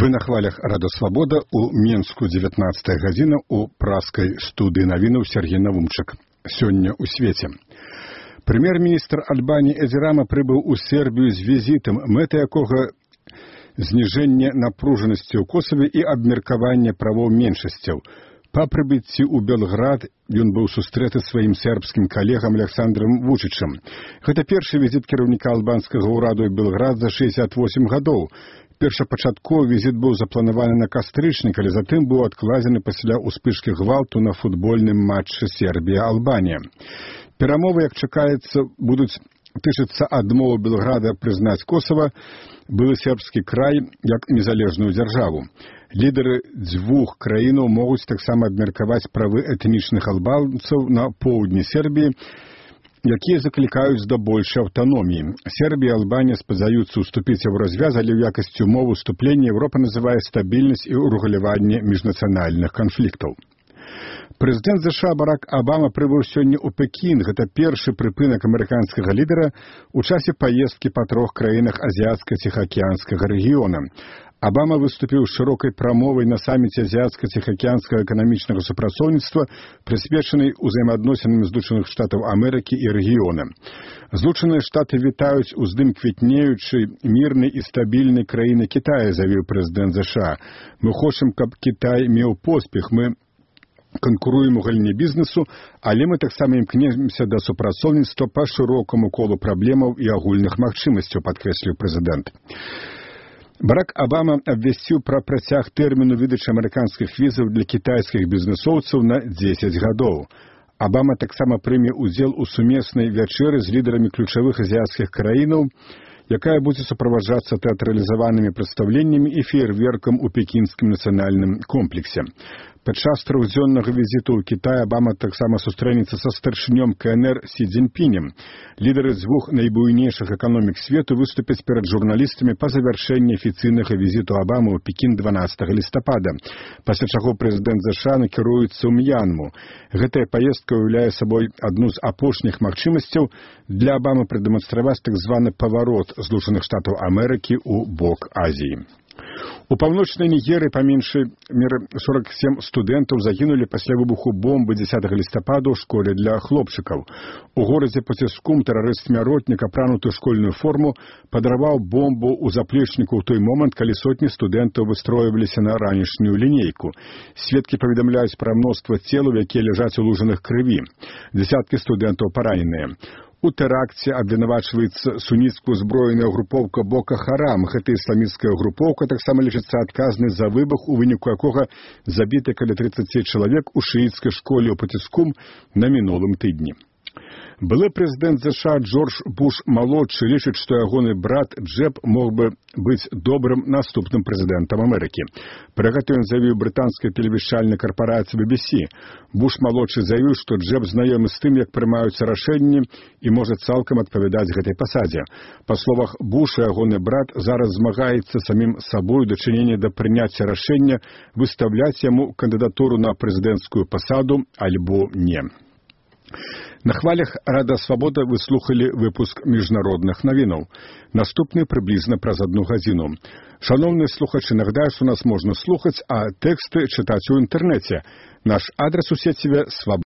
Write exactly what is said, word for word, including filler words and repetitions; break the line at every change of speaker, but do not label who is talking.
Вы на хвалях Рада Свабода у Менску дзевятнаццатая гадзіна у праскай студыі навінаў Сергей Навумчык. Сёння ў свеце. Прэм'ер-міністр Альбаніі Эдзі Рама прыбыў у Сербію з візітам, мэта якога зніжэнне напружанасці ў Косаве і абмеркаванне правоў меншасцяў. Па прыбыцці ў Белград ён быў сустрэты сваім сербскім калегам Александром Вучычам. Гэта першы візіт кіраўніка албанскага ўраду ў Белград за шэсцьдзесят восем гадоў. Першапачатковы візіт быў запланаваны на кастрычнік, але затым быў адкладзены пасля ўспышкі гвалту на футбольным матчы Сербія-Албанія. Перамовы, як чакаецца, будуць тычыцца адмовы Белграда прызнаць Косава, былы сербскі край, як незалежную дзяржаву. Лідары дзвюх краінаў могуць таксама абмеркаваць правы этнічных албанцаў на поўдні Сербіі, якія заклікаюць да большай аўтаноміі. Сербія і Албанія спадзяюцца ўступіць у развяз, але ў якасці умовы ўступлення Еўропа называе стабільнасць і ўрэгуляванне міжнацыянальных канфліктаў. Прэзідэнт ЗША Барак Абама прыбыў сёння ў Пекін. Гэта першы прыпынак амерыканскага лідара ў часе паездкі па трох краінах азіяцка-ціхаакіянскага рэгіёна. Абама выступіў з шырокай прамовай на саміце азіяцка-ціхаакіянскага эканамічнага супрацоўніцтва, прысвечанай узаемаадносінам Злучаных Штатаў Амерыкі і рэгіёна. Злучаныя Штаты вітаюць уздым квітнеючай, мірнай і стабільнай краіны Кітая, заявіў прэзідэнт ЗША. Мы хочам, каб Кітай меў поспех, мы канкуруем у галіне бізнесу, але мы таксама імкнемся да супрацоўніцтва па шырокаму колу праблемаў і агульных магчымасцяў, падкрэсліў прэзідэнт. Барак Абама абвясціў пра працяг тэрміну выдачы амерыканскіх візаў для кітайскіх бізнесоўцаў на дзесяць гадоў. Абама таксама прыме ўдзел у сумеснай вячэры з лідарамі ключавых азіяцкіх краінаў, якая будзе суправаджацца тэатралізаванымі прадстаўленнямі і феерверкам у пекінскім нацыянальным комплексе. Падчас трохдзённага візіту ў Кітай Абама таксама сустрэнецца са старшынём КНР Сі Цзіньпінем. Лідары дзвюх найбуйнейшых эканомік свету выступяць перад журналістамі па завяршэнні афіцыйнага візіту Абамы ў Пекін дванаццатага лістапада, пасля чаго прэзідэнт ЗША накіруецца ў М'янму. Гэтая паездка ўяўляе сабой адну з апошніх магчымасцяў для Абамы прадэманстраваць так званы паварот Злучаных Штатаў Амерыкі ў бок Азіі. У паўночнай Нігерыі па меншай меры сорок сем студэнтаў загінулі пасля выбуху бомбы дзесятага лістапада ў школе для хлопчыкаў. У горадзе Потискум тэрарыст-смяротнік, апрануты ў школьную форму, падарваў бомбу ў заплечніку ў той момант, калі сотні студэнтаў выстройваліся на ранішнюю лінейку. Сведкі паведамляюць пра мноства целаў, якія ляжаць у лужынах крыві. Дзесяткі студэнтаў параненыя. У тэракце абвінавачваецца суніцкую зброеную групоўка Бока Харам. Гэта ісламісцкая групоўка таксама лічыцца адказнай за выбух, у выніку якога забіты каля трыццаці чалавек у шыіцкай школе ў Потискум на мінулым тыдні. Былы прэзідэнт ЗША Джордж Буш-малодшы лічыць, што ягоны брат Джеб мог бы быць добрым наступным прэзідэнтам Амерыкі. Пра гэта ён заявіў брытанскай тэлевізіяннай карпорацыі Би Би Си. Буш-малодшы заявіў, што Джеб знаёмы з тым, як прымаюцца рашэнні і можа цалкам адпавядаць гэтай пасадзе. Па словах Буша, ягоны брат зараз змагаецца самім сабой у дачыненні да прыняцця рашэння выстаўляць яму кандыдатуру на прэзідэнцкую пасаду альбо не. На хвалях Рада Свабода вы слухали выпуск міжнародных навінаў. Наступны прыблізна праз адну гадзіну. Шановныя слухачы, нагадаю, што нас можна слухаць, а тэксты чытаць у інтэрнэце. Наш адрас у сеціве свабода.